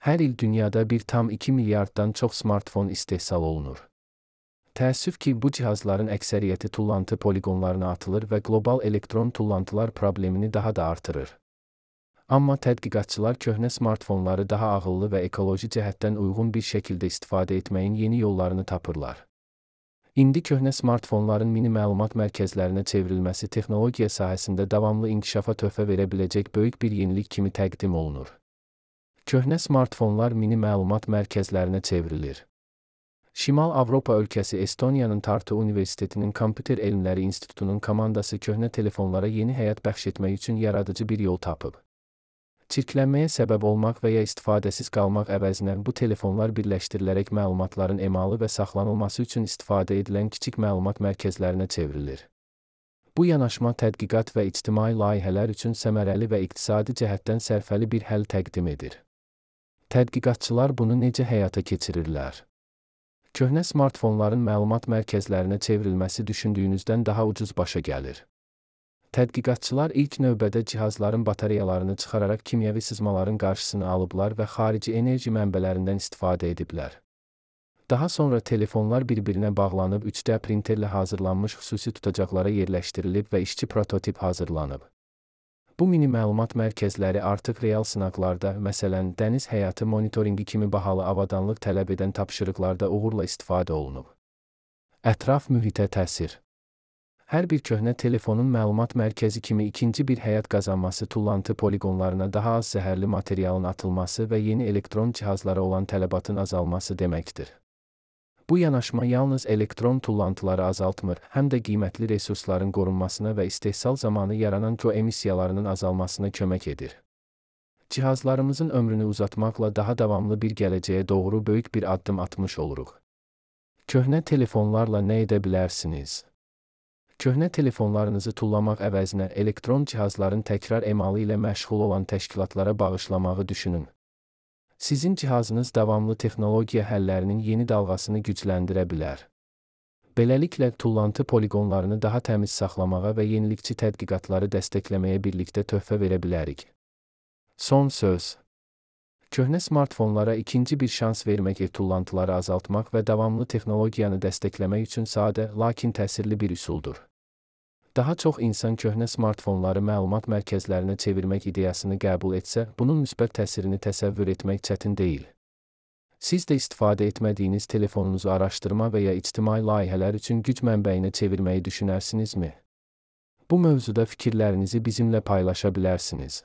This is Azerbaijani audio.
Hər il dünyada 1,2 milyarddan çox smartfon istehsal olunur. Təəssüf ki, bu cihazların əksəriyyəti tullantı poliqonlarına atılır və qlobal elektron tullantılar problemini daha da artırır. Amma tədqiqatçılar köhnə smartfonları daha ağıllı və ekoloji cəhətdən uyğun bir şəkildə istifadə etməyin yeni yollarını tapırlar. İndi köhnə smartfonların mini məlumat mərkəzlərinə çevrilməsi texnologiya sahəsində davamlı inkişafa töhfə verə biləcək böyük bir yenilik kimi təqdim olunur. Köhnə smartfonlar mini məlumat mərkəzlərinə çevrilir. Şimal Avropa ölkəsi Estoniyanın Tartu Universitetinin Kompüter Elmləri İnstitutunun komandası köhnə telefonlara yeni həyat bəxş etmək üçün yaradıcı bir yol tapıb. Çirklənməyə səbəb olmaq və ya istifadəsiz qalmaq əvəzinə bu telefonlar birləşdirilərək məlumatların emalı və saxlanılması üçün istifadə edilən kiçik məlumat mərkəzlərinə çevrilir. Bu yanaşma tədqiqat və ictimai layihələr üçün səmərəli və iqtisadi cəhətdən sərfəli bir həll təqdim edir. Tədqiqatçılar bunu necə həyata keçirirlər? Köhnə smartfonların məlumat mərkəzlərinə çevrilməsi düşündüyünüzdən daha ucuz başa gəlir. Tədqiqatçılar ilk növbədə cihazların batareyalarını çıxararaq kimyəvi sızmaların qarşısını alıblar və xarici enerji mənbələrindən istifadə ediblər. Daha sonra telefonlar bir-birinə bağlanıb 3D printerlə hazırlanmış xüsusi tutacaqlara yerləşdirilib və işçi prototip hazırlanıb. Bu mini məlumat mərkəzləri artıq real sınaqlarda, məsələn, dəniz həyatı monitoringi kimi bahalı avadanlıq tələb edən tapşırıqlarda uğurla istifadə olunub. Ətraf mühitə təsir. Hər bir köhnə telefonun məlumat mərkəzi kimi ikinci bir həyat qazanması tullantı poliqonlarına daha az zəhərli materialın atılması və yeni elektron cihazlara olan tələbatın azalması deməkdir. Bu yanaşma yalnız elektron tullantıları azaltmır, həm də qiymətli resursların qorunmasına və istehsal zamanı yaranan emissiyalarının azalmasına kömək edir. Cihazlarımızın ömrünü uzatmaqla daha davamlı bir gələcəyə doğru böyük bir addım atmış oluruq. Köhnə telefonlarla nə edə bilərsiniz? Köhnə telefonlarınızı tullamaq əvəzinə elektron cihazların təkrar emalı ilə məşğul olan təşkilatlara bağışlamağı düşünün. Sizin cihazınız davamlı texnologiya həllərinin yeni dalğasını gücləndirə bilər. Beləliklə, tullantı poliqonlarını daha təmiz saxlamağa və yenilikçi tədqiqatları dəstəkləməyə birlikdə töhfə verə bilərik. Son söz. Köhnə smartfonlara ikinci bir şans vermək tullantıları azaltmaq və davamlı texnologiyanı dəstəkləmək üçün sadə, lakin təsirli bir üsuldur. Daha çox insan köhnə smartfonları məlumat mərkəzlərinə çevirmək ideyasını qəbul etsə, bunun müsbət təsirini təsəvvür etmək çətin deyil. Siz də istifadə etmədiyiniz telefonunuzu araşdırma və ya ictimai layihələr üçün güc mənbəyinə çevirməyi düşünərsinizmi? Bu mövzuda fikirlərinizi bizimlə paylaşa bilərsiniz.